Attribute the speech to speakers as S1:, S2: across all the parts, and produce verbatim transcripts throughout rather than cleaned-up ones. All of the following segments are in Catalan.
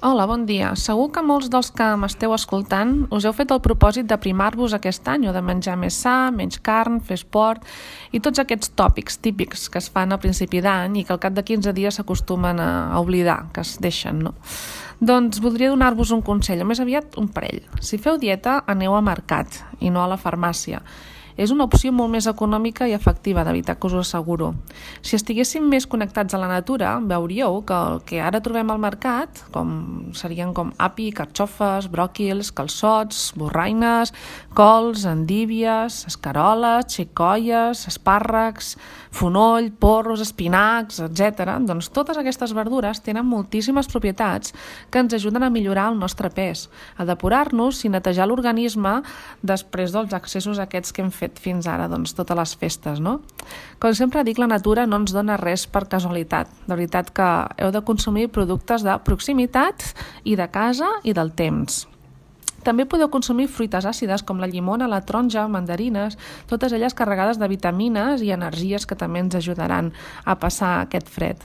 S1: Hola, bon dia. Segur que molts dels que m'esteu escoltant us heu fet el propòsit d'aprimar-vos aquest any o de menjar més sa, menys carn, fer esport i tots aquests tòpics típics que es fan a principi d'any i que al cap de quinze dies s'acostumen a oblidar, que es deixen, no? Doncs voldria donar-vos un consell, o més aviat un parell. Si feu dieta, aneu a mercat i no a la farmàcia. És una opció molt més econòmica i efectiva, de veritat que us ho asseguro. Si estiguéssim més connectats a la natura, veuríeu que el que ara trobem al mercat, com serien com api, carxofes, bròquils, calçots, borraines, cols, endívies, escaroles, xicoies, espàrrecs, fonoll, porros, espinacs, etcètera. Doncs totes aquestes verdures tenen moltíssimes propietats que ens ajuden a millorar el nostre pes, a depurar-nos i netejar l'organisme després dels excessos aquests que hem fet fins ara, doncs, totes les festes, no? Com sempre dic, la natura no ens dona res per casualitat. De veritat que heu de consumir productes de proximitat i de casa i del temps. També podeu consumir fruites àcides com la llimona, la taronja, mandarines, totes elles carregades de vitamines i energies que també ens ajudaran a passar aquest fred.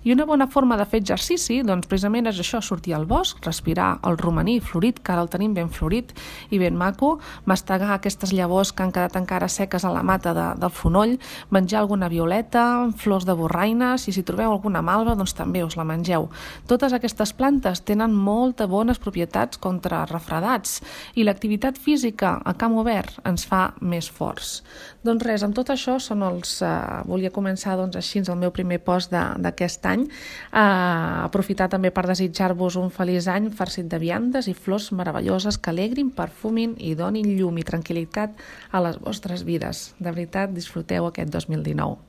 S1: I una bona forma de fer exercici, doncs precisament és això, sortir al bosc, respirar el romaní florit, que ara el tenim ben florit i ben maco, mastegar aquestes llavors que han quedat encara seques a la mata de, del fonoll, menjar alguna violeta, flors de borraines, i si trobeu alguna malva, doncs també us la mengeu. Totes aquestes plantes tenen moltes bones propietats contra refredats i l'activitat física a camp obert ens fa més forts. Doncs res, amb tot això són els... Eh, volia començar doncs, així el meu primer post d'aquest any. Eh, aprofitar també per desitjar-vos un feliç any farcit de viandes i flors meravelloses que alegrin, perfumin i donin llum i tranquil·litat a les vostres vides. De veritat, disfruteu aquest dos mil dinou.